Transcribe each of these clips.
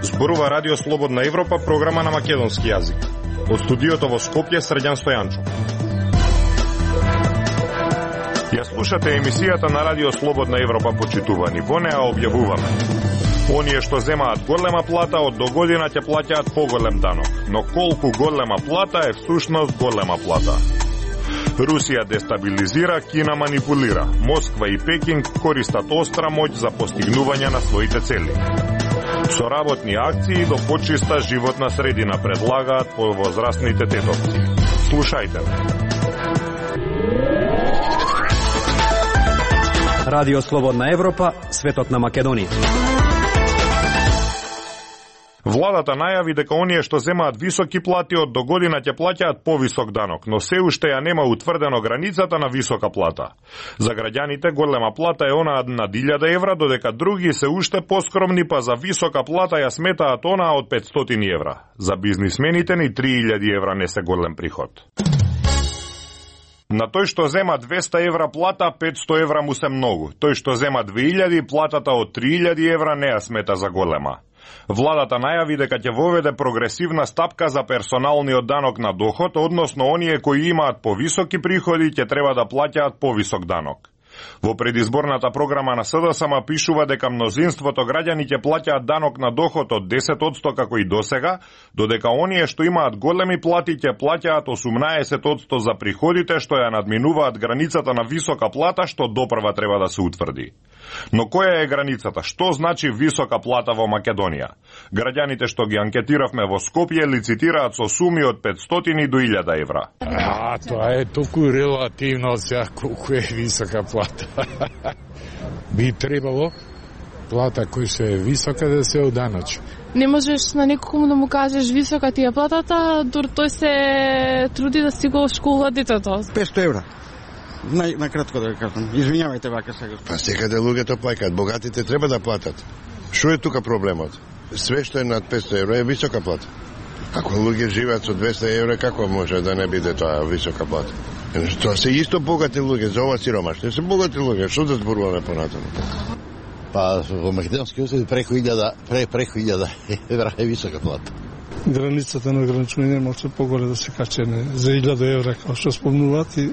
Зборува Радио Слободна Европа, програма на македонски јазик. Од студиото во Скопје, Средјан Стојанчо. Ја слушате емисијата на Радио Слободна Европа, почитувани. Во неа објавуваме: оние што земаат голема плата од до година ќе плаќаат поголем данок, но колку голема плата е всушност голема плата. Русија дестабилизира, Кина манипулира. Москва и Пекинг користат остра моќ за постигнување на своите цели. Со работни акции до почиста животна средина предлагаат повозрастните тетовци. Слушајте. Радио Слободна Европа, светот на Македонија. Владата најави дека оние што земаат високи плати од до година ќе плаќаат повисок данок, но се уште ја нема утврдено границата на висока плата. За граѓаните голема плата е онаа над 1000 евра, додека други се уште поскромни, па за висока плата ја сметаат онаа од 500 евра. За бизнисмените ни 3000 евра не се голем приход. На тој што зема 200 евра плата, 500 евра му се многу. Тој што зема 2000, платата од 3000 евра не ја смета за голема. Владата најави дека ќе воведе прогресивна стапка за персоналниот данок на доход, односно оние кои имаат повисоки приходи ќе треба да плаќаат повисок данок. Во предизборната програма на СДСМ пишува дека мнозинството граѓани ќе плаќаат данок на доход од 10% како и досега, додека оние што имаат големи плати ќе плаќаат 18% за приходите што ја надминуваат границата на висока плата што допрва треба да се утврди. Но која е границата? Што значи висока плата во Македонија? Граѓаните што ги анкетиравме во Скопје лицитираат со суми од 500 до 1000 евра. Тоа е толку релативно сега колку е висока плата. Би требало плата која се е висока да се оданачи. Не можеш на некому да му кажеш висока ти е платата, дур тој се труди да си го школува детето. 500 евра. На кратко да кажам. Извинјавајте вака сега. Па секаде луѓето плаќаат, богатите треба да платат. Што е тука проблемот? Све што е над 500 евра е висока плата. Ако луѓе живеат со 200 евра, како може да не биде тоа висока плата? Тоа се исто богати луѓе, за ова сиромашни се богати луѓе, што да зборуваме понатаму? Па во Македонски остров преку 1000 евра е висока плата. Границата на ограничување може поголе да се качене за 1000 евра, како што спомнуваат, и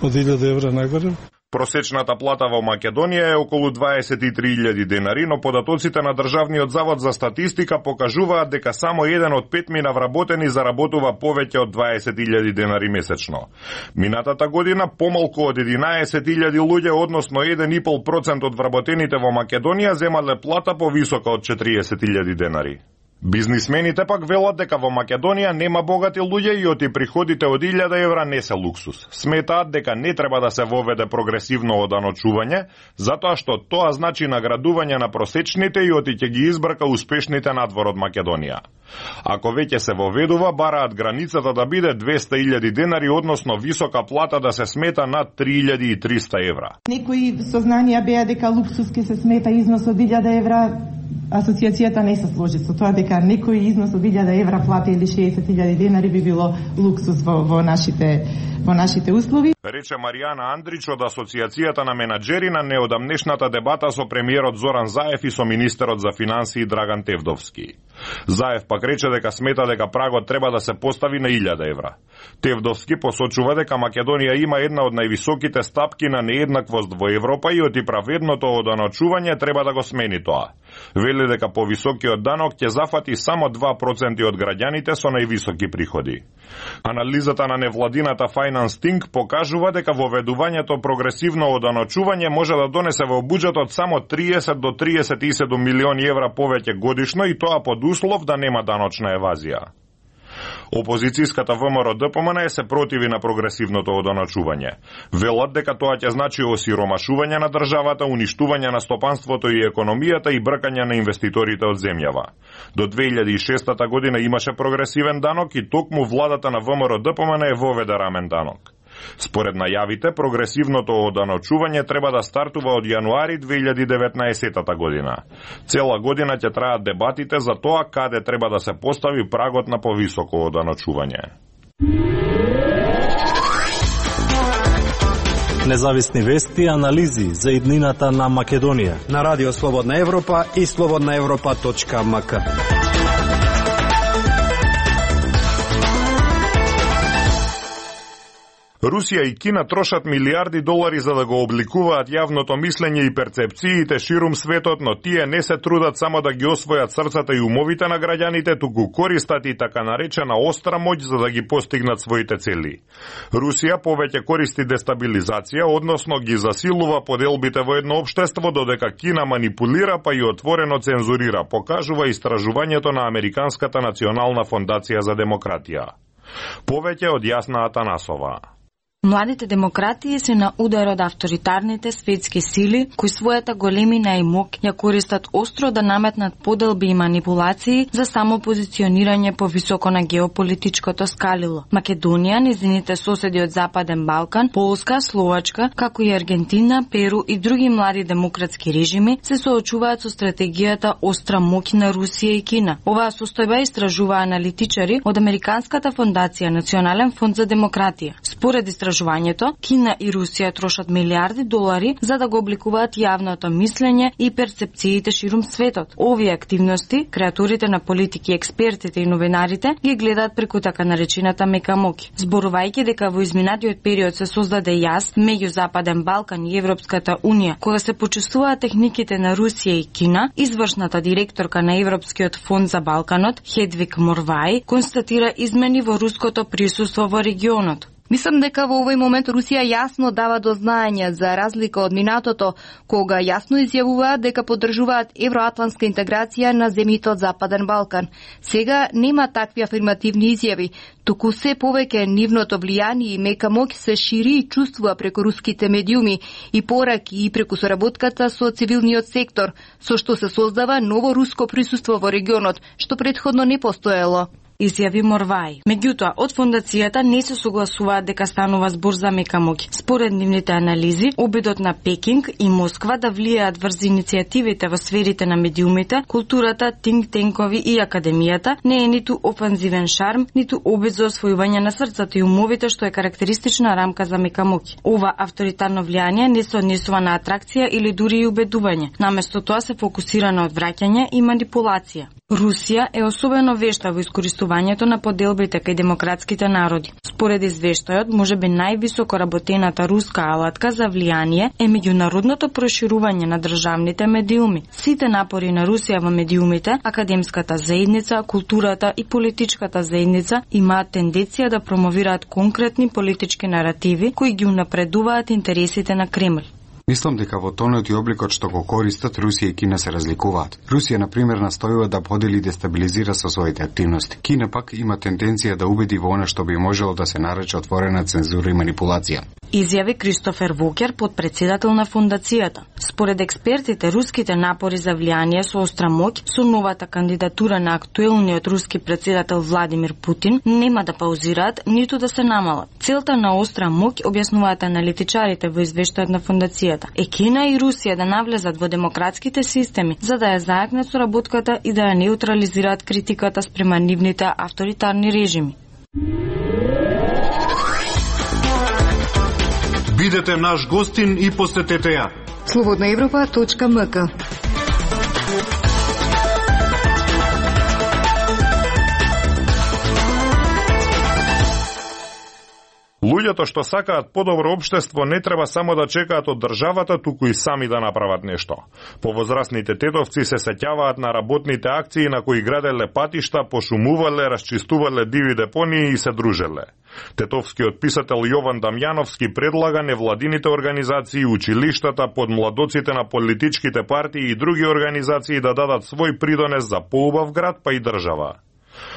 од 1000 евра нагоре. Просечната плата во Македонија е околу 23.000 денари, но податоците на Државниот завод за статистика покажуваат дека само 1 од 5 вработени заработува повеќе од 20.000 денари месечно. Минатата година помалку од 11.000 луѓе, односно 1,5% од вработените во Македонија земале плата повисока од 40.000 денари. Бизнисмените пак велат дека во Македонија нема богати луѓе и оти приходите од 1000 евра не се луксус. Сметаат дека не треба да се воведе прогресивно оданочување, затоа што тоа значи наградување на просечните и оти ќе ги избрка успешните надвор од Македонија. Ако веќе се воведува, бараат границата да биде 200.000 денари, односно висока плата да се смета над 3.300 евра. Некои сознанија беа дека луксус ќе се смета износ од 1000 евра. Асоциацијата не се сложи со тоа дека некој износ од 1000 евра плата или 60.000 денари би било луксус во нашите услови. Рече Маријана Андрич од Асоциацијата на менаџери на неодамнешната дебата со премиерот Зоран Заев и со министерот за финансии Драган Тевдовски. Заев пак рече дека смета дека прагот треба да се постави на 1000 евра. Тевдовски посочува дека Македонија има една од највисоките стапки на нееднаквост во Европа и оти праведното оданочување треба да го смени тоа. Вели дека повисокиот данок ќе зафати само 2% од граѓаните со највисоки приходи. Анализата на невладината Finance Think покажува дека воведувањето прогресивно оданочување може да донесе во буџетот само 30 до 37 милиони евра повеќе годишно и тоа под услов да нема даночна евазија. Опозицијската ВМРО ДПМН се противи на прогресивното оданочување. Велат дека тоа ќе значи осиромашување на државата, уништување на стопанството и економијата и бркање на инвеститорите од земјава. До 2006 година имаше прогресивен данок и токму владата на ВМРО ДПМН е воведе рамен данок. Според најавите, прогресивното оданочување треба да стартува од јануари 2019 година. Цела година ќе траат дебатите за тоа каде треба да се постави прагот на повисоко оданочување. Независни вести и анализи за иднината на Македонија на Радио Слободна Европа и slobodnaevropa.mk. Русија и Кина трошат милиарди долари за да го обликуваат јавното мислење и перцепциите ширум светот, но тие не се трудат само да ги освојат срцата и умовите на граѓаните, туку користат и така наречена остра моќ за да ги постигнат своите цели. Русија повеќе користи дестабилизација, односно ги засилува поделбите во едно општество, додека Кина манипулира па и отворено цензурира, покажува истражувањето на Американската национална фондација за демократија. Повеќе од Јасна Атанасова. Младите демократии се на удар од авторитарните светски сили, кои својата големина и мок ја користат остро да наметнат поделби и манипулации за самопозиционирање повисоко на геополитичкото скалило. Македонија, незините соседи од Западен Балкан, Полска, Словачка, како и Аргентина, Перу и други млади демократски режими се соочуваат со стратегијата остра моќ на Русија и Кина. Оваа состојба истражува аналитичари од Американската фондација Национален фонд за демократија. Според истражувањето, Кина и Русија трошат милиарди долари за да го обликуваат јавното мислење и перцепциите ширум светот. Овие активности, креаторите на политики, експертите и новинарите ги гледаат преку така наречената мека моќ. Зборувајќи дека во изминатиот период се создаде јаз меѓу Западен Балкан и Европската унија, кога се почувствуваат техниките на Русија и Кина, извршната директорка на Европскиот фонд за Балканот, Хедвиг Морвај, констатира измени во руското присуство во регионот. Мислам дека во овој момент Русија јасно дава до знаење, за разлика од минатото, кога јасно изјавуваат дека поддржуваат евроатлантска интеграција на земјите од Западен Балкан. Сега нема такви афирмативни изјави, туку се повеќе нивното влијание и мека моќ се шири и чувствува преку руските медиуми и пораки и преку соработката со цивилниот сектор, со што се создава ново руско присуство во регионот, што претходно не постоело, изјави Морвај. Меѓутоа, од фондацијата не се согласуваат дека станува збор за мека моќ. Според нивните анализи, обидот на Пекинг и Москва да влијаат врз иницијативите во сферите на медиумите, културата, тинк-тенкови и академијата не е ниту офанзивен шарм, ниту обид за освојување на срцата и умовите, што е карактеристична рамка за мека моќ. Ова авторитарно влијание не се однесува на атракција или дури и убедување. Наместо тоа се фокусира на одвраќање и манипулација. Русија е особено вешта во искористувањето на поделбите кај демократските народи. Според извештајот, можеби највисоко работената руска алатка за влијание е меѓународното проширување на државните медиуми. Сите напори на Русија во медиумите, академската заедница, културата и политичката заедница имаат тенденција да промовираат конкретни политички наративи кои ги унапредуваат интересите на Кремљ. Мислам дека во тонот и обликот што го користат, Русија и Кина се разликуваат. Русија, например, настојува да подели и дестабилизира со своите активности. Кина пак има тенденција да убеди во она што би можело да се нарече отворена цензура и манипулација. Изјави Кристофер Вокер, подпредседател на фондацијата. Според експертите, руските напори за влијание со остра моќ со новата кандидатура на актуелниот руски председател Владимир Путин нема да паузираат, ниту да се намалат. Целта на остра моќ, објаснуваат аналитичарите во извештајот на фондацијата, е Кина и Русија да навлезат во демократските системи, за да ја зајакнат соработката и да ја неутрализираат критиката спрема нивните авторитарни режими. Бидете наш гостин и посетете ја. slobodnaevropa.mk. Луѓето што сакаат подобро општество не треба само да чекаат од државата, туку и сами да направат нешто. Повозрасните тетовци се сеќаваат на работните акции на кои граделе патишта, пошумувале, расчистувале диви депонии и се дружеле. Тетовскиот писател Јован Дамјановски предлага невладините организации, училиштата, подмладоците на политичките партии и други организации да дадат свој придонес за поубав град па и држава.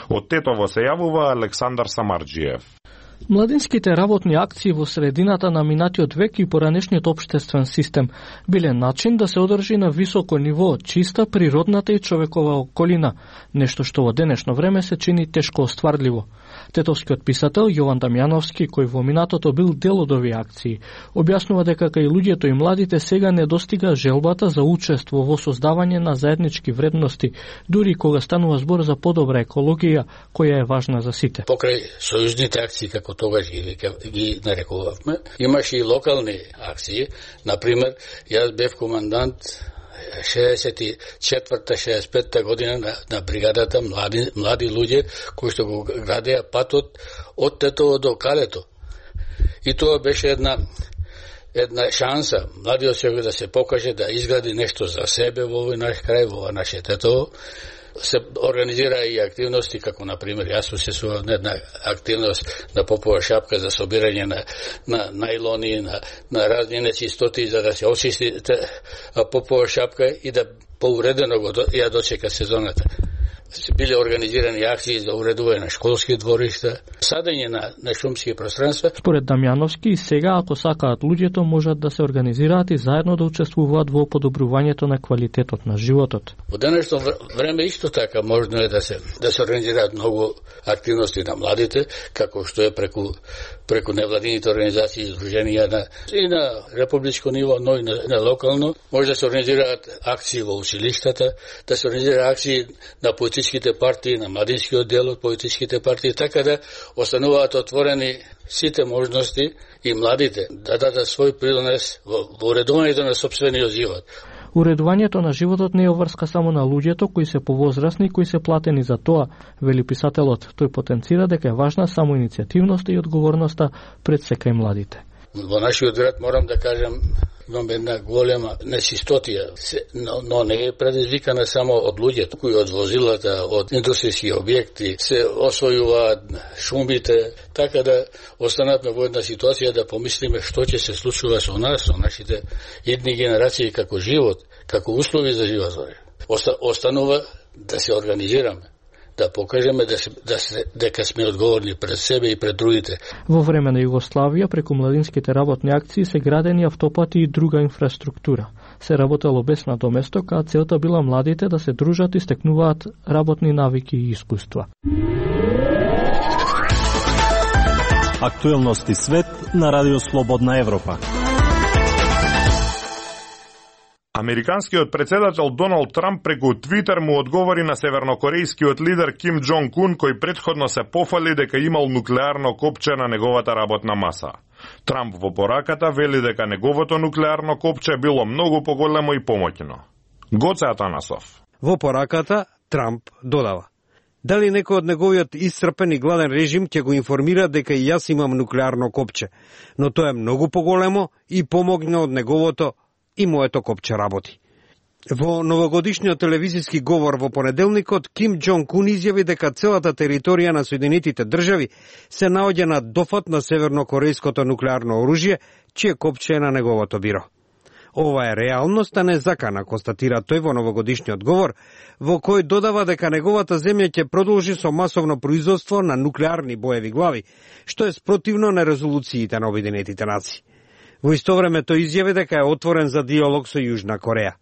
Од Тетово се јавува Александар Самарџиев. Младинските работни акции во средината на минатиот век и поранешниот општествен систем биле начин да се одржи на високо ниво чиста природната и човекова околина, нешто што во денешно време се чини тешко остварливо. Тетовскиот писател Јован Дамјановски, кој во минатото бил дел од овие акции, објаснува дека кај луѓето и младите сега не достига желбата за учество во создавање на заеднички вредности, дури кога станува збор за подобра екологија, која е важна за сите. Покрај сојузните акции, како тогаш ги нарекувавме, имаше и локални акции. Например, јас бев командант 64-65 година на бригадата млади луѓе кои што го градеа патот од Тетово до Калето. И тоа беше една шанса младиот човек да се покаже, да изгради нешто за себе во овој наш крај, во наше Тетово. Се организира и активности, како например јас учествував на една активност на Попова шапка за собирање на најлони, на разни нечистоти за да се очисти Попова шапка и да поуредено ја дочека сезоната. Биле организирани акции за уредување на школски дворишта, садење на шумски пространства. Според Дамјановски, сега ако сакаат луѓето можат да се организираат и заедно да учествуваат во подобрувањето на квалитетот на животот. Во денешно време исто така можно е да се организираат многу активности на младите, како што е преку невладините организации и издруженија и на републичко ниво, но и на локално. Може да се организираат акции во училиштата, да се организираат акции на политичките партии, на младинскиот дел од политичките партии, така да остануваат отворени сите можности и младите да дадат свој принос во уредувањето на сопствениот живот. Уредувањето на животот не е обврска само на луѓето кои се повозрасни и кои се платени за тоа, вели писателот. Тој потенцира дека е важна само иницијативноста и одговорноста пред секај младите. Во нашиот град морам да кажам, имаме една голема нечистотија, но не е предизвикана само од луѓето, кои од возилата, од индустријски објекти се освојуваат шумите, така да останавме во една ситуација да помислиме што ќе се случува со нас, со нашите идни генерации, како живот, како услови за живот. Останува да се организираме, да покажеме дека сме одговорни пред себе и пред другите. Во време на Југославија, преку младинските работни акции се градени автопати и друга инфраструктура. Се работело без надоместок, а целта била младите да се дружат и стекнуваат работни навики и искуства. Актуелности свет на Радио Слободна Европа. Американскиот председател Доналд Трамп преку Твитер му одговори на севернокорејскиот лидер Ким Џонг Ун, кој претходно се пофали дека имал нуклеарно копче на неговата работна маса. Трамп во пораката вели дека неговото нуклеарно копче било многу поголемо и помоќно. Гоце Атанасов. Во пораката Трамп додава: дали некој од неговиот исцрпен и гладен режим ќе го информира дека и јас имам нуклеарно копче, но тоа е многу поголемо и помоќно од неговото и моето копче работи. Во новогодишниот телевизиски говор во понеделникот, Ким Џонг Ун изјави дека целата територија на Соединетите држави се наоѓа на дофат на севернокорејското нуклеарно оружје, чие копче е на неговото биро. Ова е реалност, а не закана, констатира тој во новогодишниот говор, во кој додава дека неговата земја ќе продолжи со масовно производство на нуклеарни боеви глави, што е спротивно на резолуциите на Обединетите нации. Во исто време тој изјави дека е отворен за диалог со Јужна Кореја.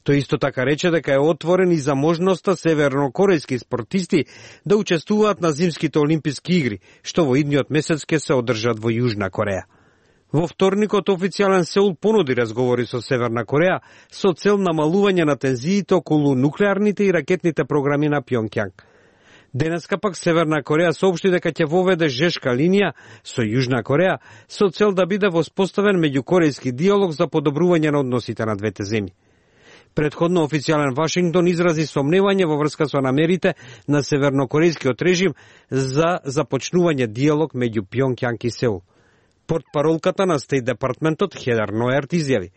Тој исто така рече дека е отворен и за можноста севернокорејски спортисти да учествуваат на зимските олимписки игри, што во идниот месец ќе се одржат во Јужна Кореја. Во вторникот официјален Сеул понуди разговори со Северна Кореја со цел намалување на тензиите околу нуклеарните и ракетните програми на Пјонкјанг. Денеска пак Северна Кореја соопшти дека ќе воведе жешка линија со Јужна Кореја со цел да биде воспоставен меѓукорејски диалог за подобрување на односите на двете земји. Предходно официјален Вашингтон изрази сомневање во врска со намерите на севернокорејскиот режим за започнување диалог меѓу Пјонкјанг и Сеул. Портпаролката на Стейт департментот Хедер Ноерт изјави: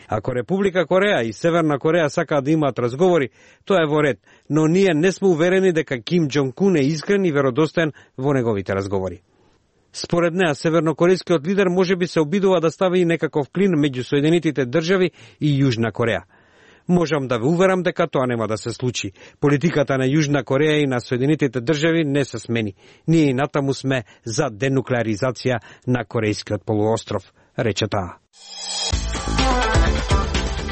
ако Република Кореја и Северна Кореја сакаат да имаат разговори, тоа е во ред, но ние не сме уверени дека Ким Џонг Ун е искрен и веродостоен во неговите разговори. Според неа, севернокорејскиот лидер можеби се обидува да стави некаков клин меѓу Соединетите држави и Јужна Кореја. Можам да ве уверам дека тоа нема да се случи. Политиката на Јужна Кореја и на Соединетите држави не се смени. Ние и натаму сме за денуклеаризација на Корејскиот полуостров, рече таа.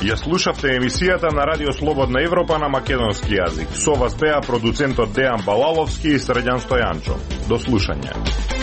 Ја слушавте емисијата на Радио Слободна Европа на македонски јазик. Со вас беа продуцентот Дејан Балаловски и Срđan Стојанчо. До слушање.